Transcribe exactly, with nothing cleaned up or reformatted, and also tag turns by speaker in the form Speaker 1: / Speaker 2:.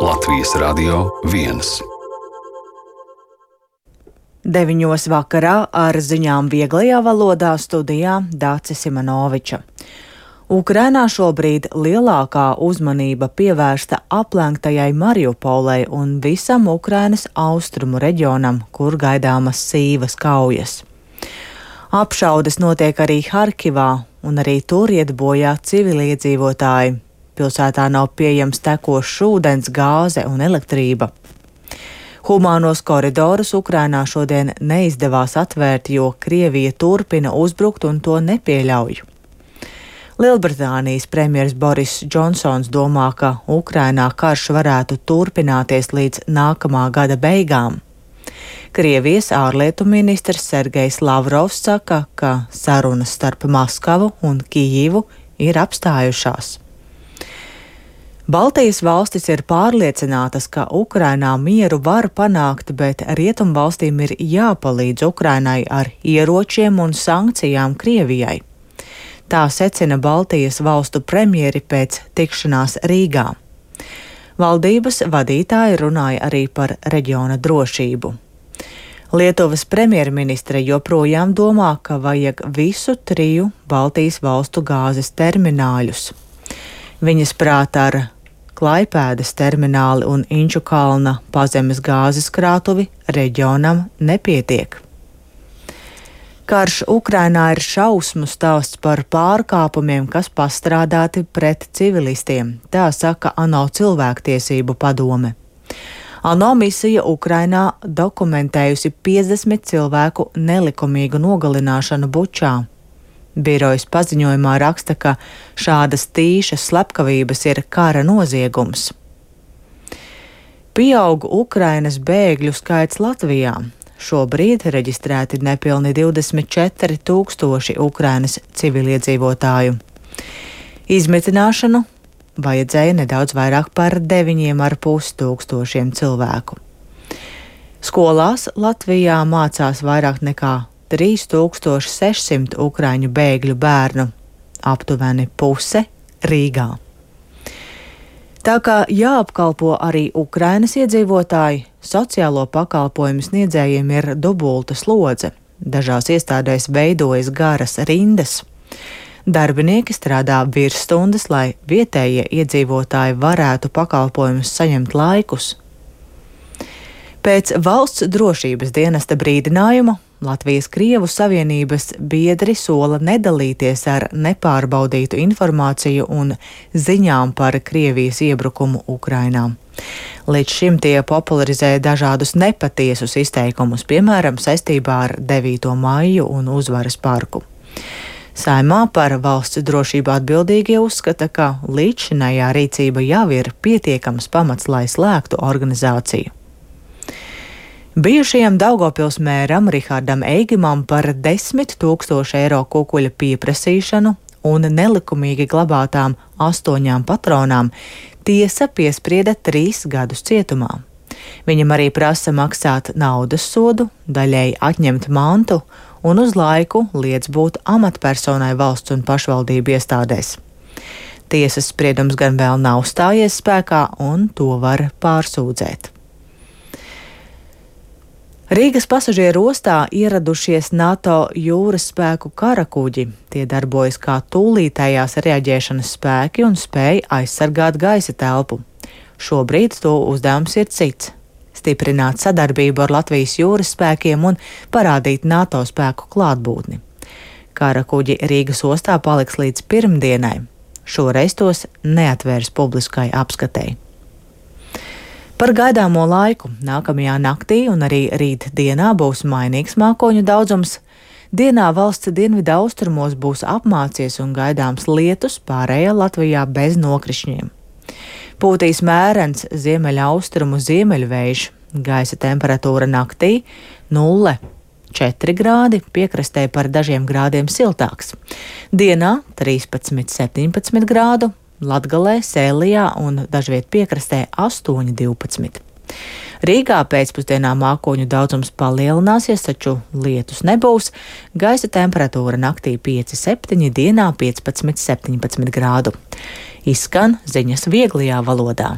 Speaker 1: Latvijas Radio viens.
Speaker 2: Deviņos vakarā ar ziņām vieglajā valodā studijā Dācis Simanoviča. Ukrainā šobrīd lielākā uzmanība pievērsta aplenktajai Mariupolei un visam Ukrainas austrumu reģionam, kur gaidāmas sīvas kaujas. Apšaudes notiek arī Harkivā, un arī tur iet bojā civiliedzīvotāji. Pilsētā nav pieejams tekošs ūdens, gāze un elektrība. Humānos koridorus Ukrainā šodien neizdevās atvērt, jo Krievija turpina uzbrukt un to nepieļauj. Lielbritānijas premjers Boris Džonsons domā, ka Ukrainā karš varētu turpināties līdz nākamā gada beigām. Krievijas ārlietu ministrs Sergejs Lavrovs saka, ka sarunas starp Maskavu un Kijivu ir apstājušās. Baltijas valstis ir pārliecinātas, ka Ukrainā mieru var panākt, bet rietumvalstīm ir jāpalīdz Ukrainai ar ieročiem un sankcijām Krievijai. Tā secina Baltijas valstu premjeri pēc tikšanās Rīgā. Valdības vadītāji runāja arī par reģiona drošību. Lietuvas premjerministre joprojām domā, ka vajag visu triju Baltijas valstu gāzes termināļus. Viņas prāt ar Klaipēdas termināli un Inču kalna pazemes gāzes krātuvi reģionam nepietiek. Karš Ukrainā ir šausmu stāsts par pārkāpumiem, kas pastrādāti pret civilistiem, tā saka ANO cilvēktiesību padome. ANO misija Ukrainā dokumentējusi piecdesmit cilvēku nelikumīgu nogalināšanu Bučā. Birojas paziņojumā raksta, ka šādas tīšas slepkavības ir kara noziegums. Pieaug Ukrainas bēgļu skaits Latvijā. Šobrīd reģistrēti nepilni divdesmit četri tūkstoši Ukrainas civiliedzīvotāju. Izmitināšanu vajadzēja nedaudz vairāk par deviņiem ar pus tūkstošiem cilvēku. Skolās Latvijā mācās vairāk nekā trīs tūkstoši sešsimt ukraiņu bēgļu bērnu, aptuveni puse Rīgā. Tā kā jāapkalpo arī Ukrainas iedzīvotāji, sociālo pakalpojumu sniedzējiem ir dubulta slodze. Dažās iestādēs veidojas garas rindas. Darbinieki strādā virsstundas, lai vietējie iedzīvotāji varētu pakalpojumus saņemt laikus. Pēc valsts drošības dienesta brīdinājuma Latvijas Krievu Savienības biedri sola nedalīties ar nepārbaudītu informāciju un ziņām par Krievijas iebrukumu Ukrainā. Līdz šim tie popularizē dažādus nepatiesus izteikumus, piemēram, saistībā ar devīto maiju un Uzvaras parku. Saimā par valsts drošību atbildīgie uzskata, ka līdzšinējā rīcība jau ir pietiekams pamats, lai slēgtu organizāciju. Bijušajam Daugavpils mēram Rihardam Eigimam par desmit tūkstošu eiro kukuļa pieprasīšanu un nelikumīgi glabātām astoņām patronām tiesa piesprieda trīs gadus cietumā. Viņam arī prasa maksāt naudas sodu, daļēji atņemt mantu un uz laiku liedz būt amatpersonai valsts un pašvaldību iestādēs. Tiesas spriedums gan vēl nav stājies spēkā, un to var pārsūdzēt. Rīgas pasažieru ostā ieradušies NATO jūras spēku karakuģi. Tie darbojas kā tūlītējās reaģēšanas spēki un spēj aizsargāt gaisa telpu. Šobrīd to uzdevums ir cits - stiprināt sadarbību ar Latvijas jūras spēkiem un parādīt NATO spēku klātbūtni. Karakuģi Rīgas ostā paliks līdz pirmdienai. Šoreiz tos neatvērs publiskai apskatei. Par gaidāmo laiku nākamajā naktī un arī rīt dienā būs mainīgs mākoņu daudzums. Dienā valsts dienvidu austrumos būs apmācies un gaidāms lietus, pārējā Latvijā bez nokrišņiem. Pūtīs mērens ziemeļaustrumu ziemeļvējš, gaisa temperatūra naktī nulle četri grādi, piekrastē par dažiem grādiem siltāks. Dienā trīspadsmit septiņpadsmit grādu, Latgalē, Sēlijā un dažviet piekrastē astoņi divpadsmit. Rīgā pēcpusdienā mākoņu daudzums palielināsies, taču lietus nebūs. Gaisa temperatūra naktī pieci septiņi, dienā piecpadsmit septiņpadsmit grādu. Izskan ziņas vieglajā valodā.